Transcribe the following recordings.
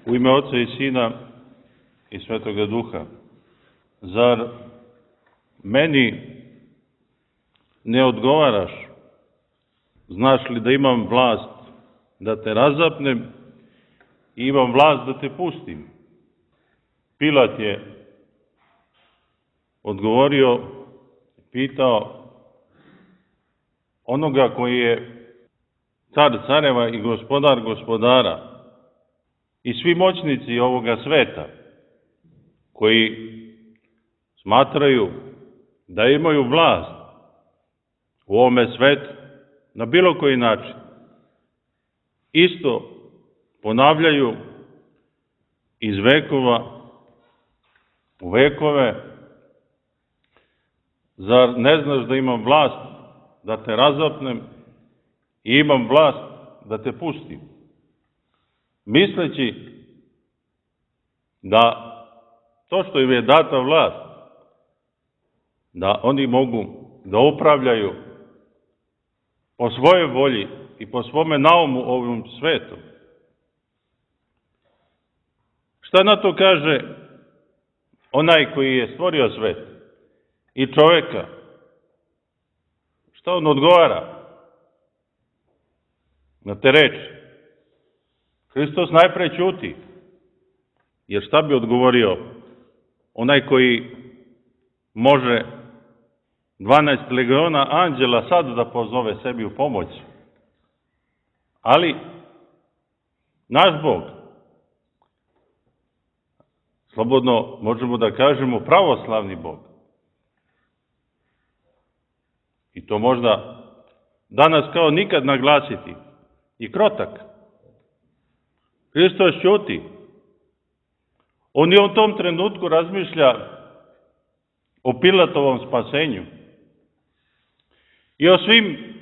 U ime Oca i Sina i Svetoga Duha. Zar meni ne odgovaraš? Znaš li da imam vlast da te razapnem i imam vlast da te pustim? Pilat je odgovorio, pitao onoga koji je car careva i gospodar gospodara i svi moćnici ovoga sveta koji smatraju da imaju vlast u ovome svetu na bilo koji način, isto ponavljaju iz vekova u vekove: zar ne znaš da imam vlast da te razapnem i imam vlast da te pustim? Misleći da to što im je data vlast, da oni mogu da upravljaju po svojoj volji i po svome naumu ovim svetom. Šta na to kaže onaj koji je stvorio svet i čoveka? Šta on odgovara na te reči? Hristos najpre ćuti, jer šta bi odgovorio onaj koji može 12 legiona anđela sad da pozove sebi u pomoć? Ali naš Bog, slobodno možemo da kažemo pravoslavni Bog, i to možda danas kao nikad naglasiti, i krotak. Hristos ćuti. On i u tom trenutku razmišlja o Pilatovom spasenju i o svim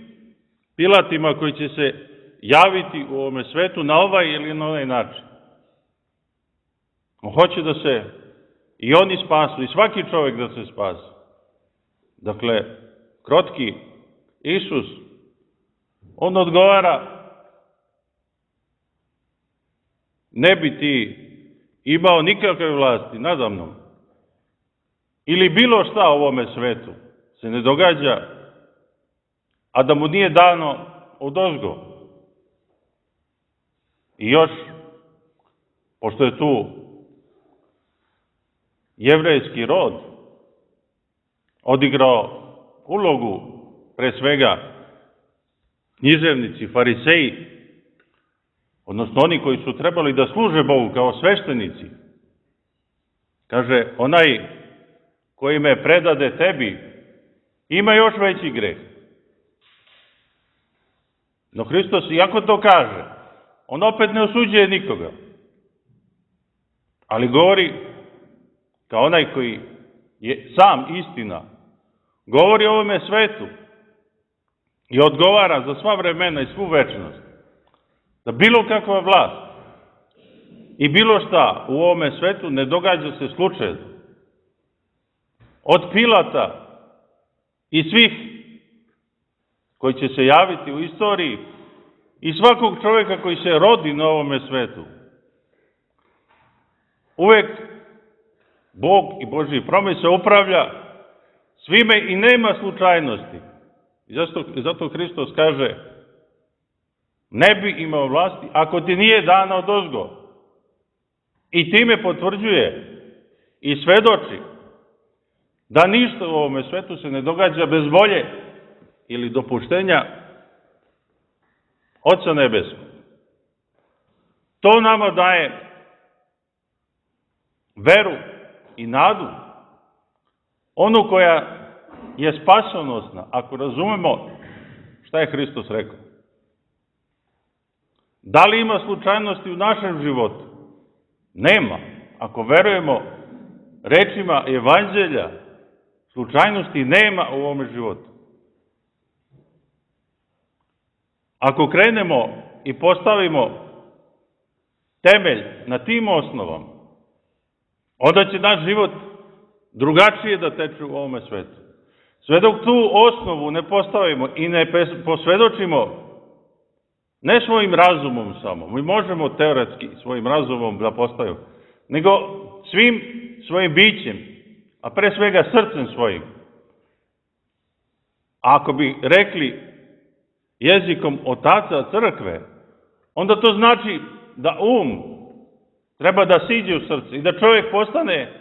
Pilatima koji će se javiti u ovome svetu na ovaj ili na onaj način. On hoće da se i oni spasu, i svaki čovjek da se spasi. Dakle, krotki Isus, on odgovara: ne bi ti imao nikakve vlasti nada mnom, ili bilo šta u ovome svetu se ne događa, a da mu nije dano odozgo. I još, pošto je tu jevrejski rod odigrao ulogu, pre svega književnici, fariseji, odnosno oni koji su trebali da služe Bogu kao sveštenici, kaže: onaj koji me predade tebi ima još veći greh. No Hristos, iako to kaže, on opet ne osuđuje nikoga, ali govori kao onaj koji je sam istina, govori o ovome svetu i odgovara za sva vremena i svu večnost, da bilo kakva vlast i bilo šta u ovome svetu ne događa se slučajno. Od Pilata i svih koji će se javiti u istoriji i svakog čovjeka koji se rodi na ovome svetu, uvek Bog i Božji promise upravlja svime i nema slučajnosti. I zato Hristos kaže: ne bi imao vlasti ako ti nije dana odozgo. I time potvrđuje i svedoči da ništa u ovome svetu se ne događa bez volje ili dopuštenja Oca nebeskog. To nama daje veru i nadu, onu koja je spasonosna, ako razumemo šta je Hristos rekao. Da li ima slučajnosti u našem životu? Nema. Ako verujemo rečima Evanđelja, slučajnosti nema u ovome životu. Ako krenemo i postavimo temelj na tim osnovama, onda će naš život drugačije da teče u ovome svetu. Sve dok tu osnovu ne postavimo i ne posvedočimo Ne svojim razumom samo. Mi možemo teoretski svojim razumom da postavimo, nego svim svojim bićem, a pre svega srcem svojim. A ako bi rekli jezikom otaca crkve, onda to znači da treba da siđe u srce i da čovjek postane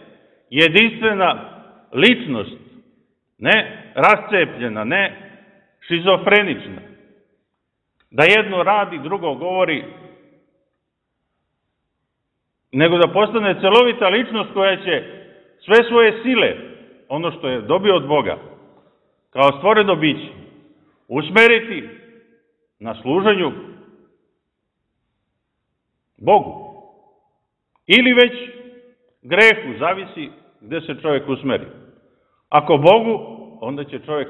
jedinstvena ličnost, ne rascepljena, ne šizofrenična. Da jedno radi, drugo govori, nego da postane celovita ličnost koja će sve svoje sile, ono što je dobio od Boga, kao stvoreno biće, usmeriti na služenju Bogu. Ili već grehu, zavisi gde se čovjek usmeri. Ako Bogu, onda će čovjek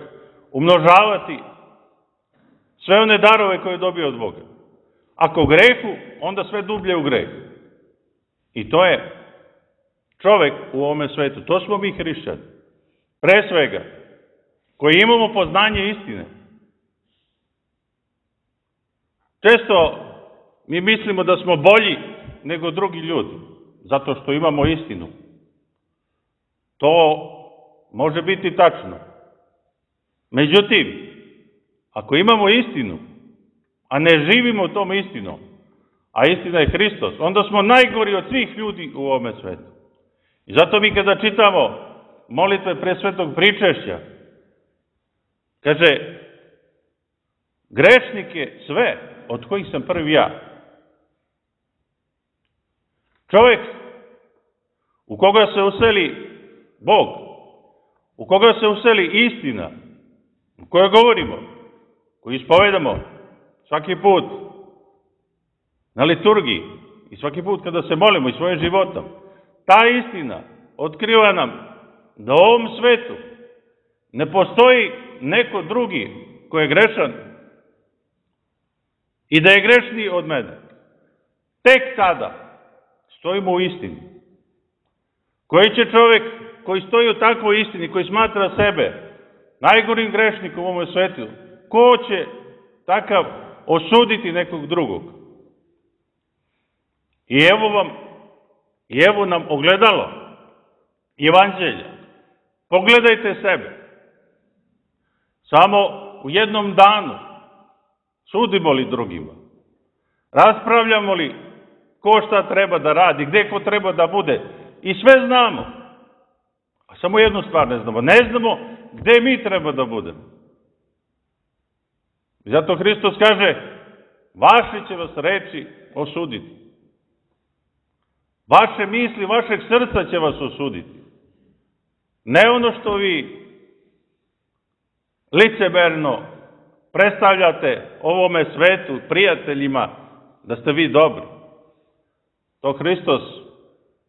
umnožavati sve one darove koje je dobio od Boga. Ako grehu, onda sve dublje u greh. I to je čovjek u ovome svetu. To smo mi hrišćani. Pre svega, koji imamo poznanje istine. Često mi mislimo da smo bolji nego drugi ljudi, zato što imamo istinu. To može biti tačno. Međutim, ako imamo istinu, a ne živimo tom istinom, a istina je Hristos, onda smo najgori od svih ljudi u ovome svetu. I zato mi kada čitamo molitve pre svetog pričešća, kaže, grešnik je sve, od kojih sam prvi ja. Čovjek u koga se useli Bog, u koga se useli istina, u kojoj govorimo, koju ispovedamo svaki put na liturgiji i svaki put kada se molimo i svojim životom, ta istina otkriva nam da u ovom svetu ne postoji neko drugi koji je grešan i da je grešniji od mene. Tek tada stojimo u istini. Koji će čovjek koji stoji u takvoj istini, koji smatra sebe najgorim grešnikom u ovom svetu, ko će takav osuditi nekog drugog? I evo nam ogledalo Evanđelja. Pogledajte sebe. Samo u jednom danu sudimo li drugima? Raspravljamo li ko šta treba da radi, gde ko treba da bude? I sve znamo. A samo jednu stvar ne znamo. Ne znamo gde mi treba da budemo. I zato Hristos kaže, vaše će vas reči osuditi. Vaše misli, vašeg srca će vas osuditi. Ne ono što vi licemerno predstavljate ovome svetu, prijateljima, da ste vi dobri. To Hristos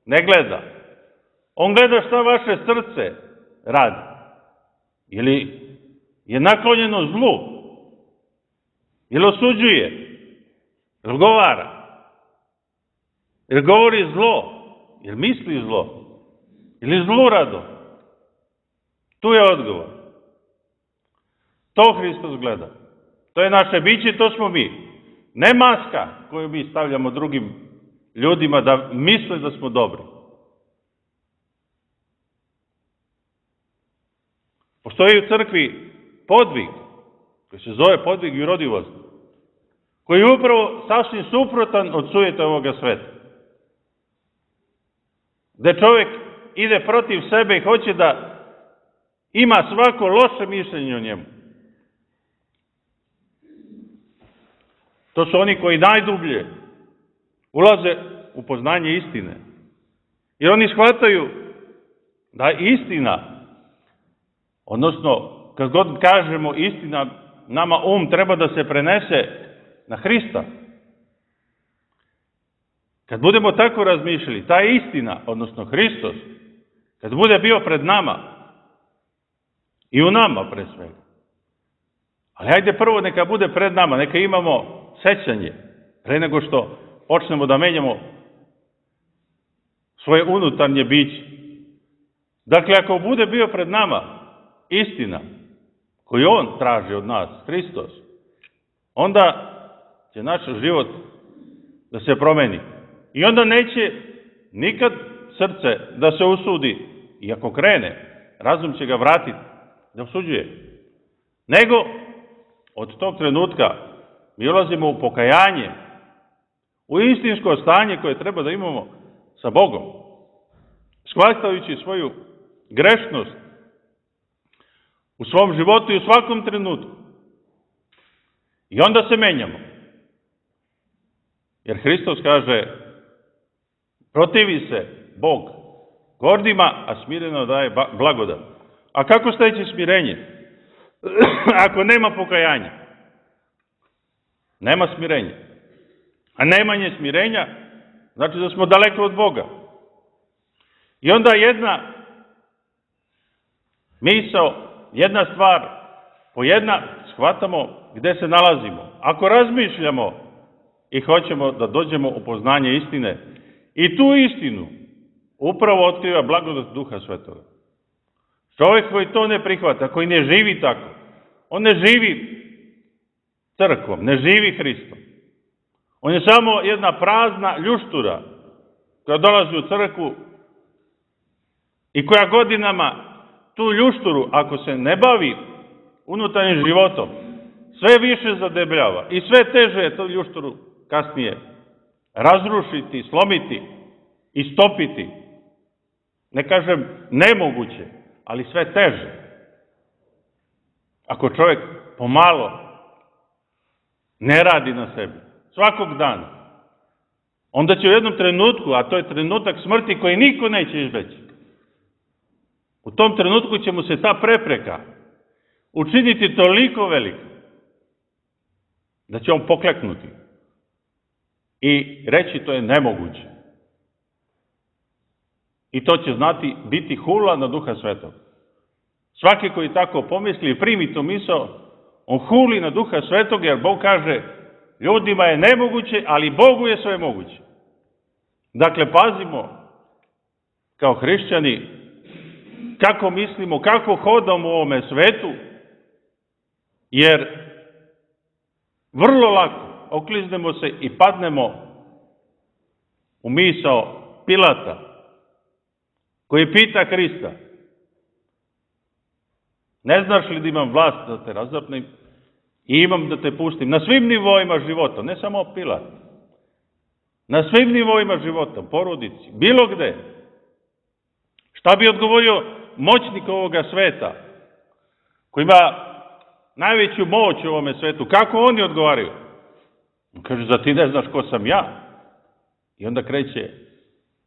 ne gleda. On gleda šta vaše srce radi. Ili je naklonjeno zlu. Ili osuđuje. Ili govara. Ili govori zlo. Ili misli zlo. Ili zlurado. Tu je odgovor. To Hristos gleda. To je naše biće, to smo mi. Ne maska koju mi stavljamo drugim ljudima da misle da smo dobri. Postoji u crkvi podvig, koji se zove podvig jurodivosти, koji je upravo sasvim suprotan od sujeta ovoga sveta. Gde čovjek ide protiv sebe i hoće da ima svako loše mišljenje o njemu. To su oni koji najdublje ulaze u poznanje istine. Jer oni shvataju da istina, odnosno kad god kažemo istina, nama treba da se prenese na Hrista. Kad budemo tako razmišljali, ta istina, odnosno Hristos, kad bude bio pred nama, i u nama pre svega. Ali hajde prvo neka bude pred nama, neka imamo sećanje, pre nego što počnemo da menjamo svoje unutarnje biće. Dakle, ako bude bio pred nama istina koju on traži od nas, Hristos, onda će naš život da se promeni. I onda neće nikad srce da se usudi, i ako krene, razum će ga vratiti da osuđuje. Nego, od tog trenutka mi ulazimo u pokajanje, u istinsko stanje koje treba da imamo sa Bogom, shvatajući svoju grešnost u svom životu i u svakom trenutku. I onda se menjamo. Jer Hristos kaže, protivi se Bog gordima, a smireno daje blagodat. A kako steći smirenje? Ako nema pokajanja, nema smirenja. A nemanje smirenja znači da smo daleko od Boga. I onda jedna misao, jedna stvar, po jedna shvatamo gde se nalazimo. Ako razmišljamo i hoćemo da dođemo u poznanje istine, i tu istinu upravo otkriva blagodat Duha Svetoga. Čovjek koji to ne prihvata, koji ne živi tako, on ne živi crkvom, ne živi Hristom. On je samo jedna prazna ljuštura koja dolazi u crkvu i koja godinama tu ljušturu, ako se ne bavi unutarnjim životom, sve više zadebljava i sve teže je tu ljušturu kasnije razrušiti, slomiti, istopiti. Ne kažem nemoguće, ali sve teže. Ako čovjek pomalo ne radi na sebi, svakog dana, onda će u jednom trenutku, a to je trenutak smrti koji niko neće izbeći, u tom trenutku će mu se ta prepreka učiniti toliko velika da će on pokleknuti i reći to je nemoguće. I to će znati biti hula na Duha Svetog. Svaki koji tako pomisli i primi tu misao, on huli na Duha Svetog, jer Bog kaže ljudima je nemoguće, ali Bogu je sve moguće. Dakle, pazimo kao hrišćani kako mislimo, kako hodamo u ovome svetu, jer vrlo lako okliznemo se i padnemo u misao Pilata, koji pita Hrista, ne znaš li da imam vlast da te razapnem i imam da te pustim na svim nivoima života, ne samo Pilat, na svim nivoima života, porodici, bilo gde. Šta bi odgovorio moćnik ovoga sveta, koji ima najveću moć u ovome svetu? Kako oni odgovaraju? On kaže, da ti ne znaš ko sam ja. I onda kreće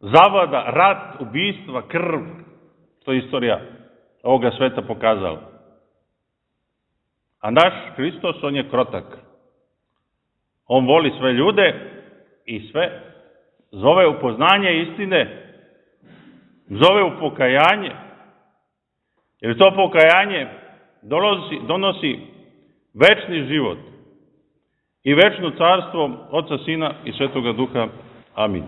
zavada, rat, ubistva, krv. To je istorija ovoga sveta pokazala. A naš Hristos, on je krotak. On voli sve ljude i sve zove u poznanje istine, zove u pokajanje, jer to pokajanje donosi večni život i večno carstvo Oca, Sina i Svetoga Duha. Amin.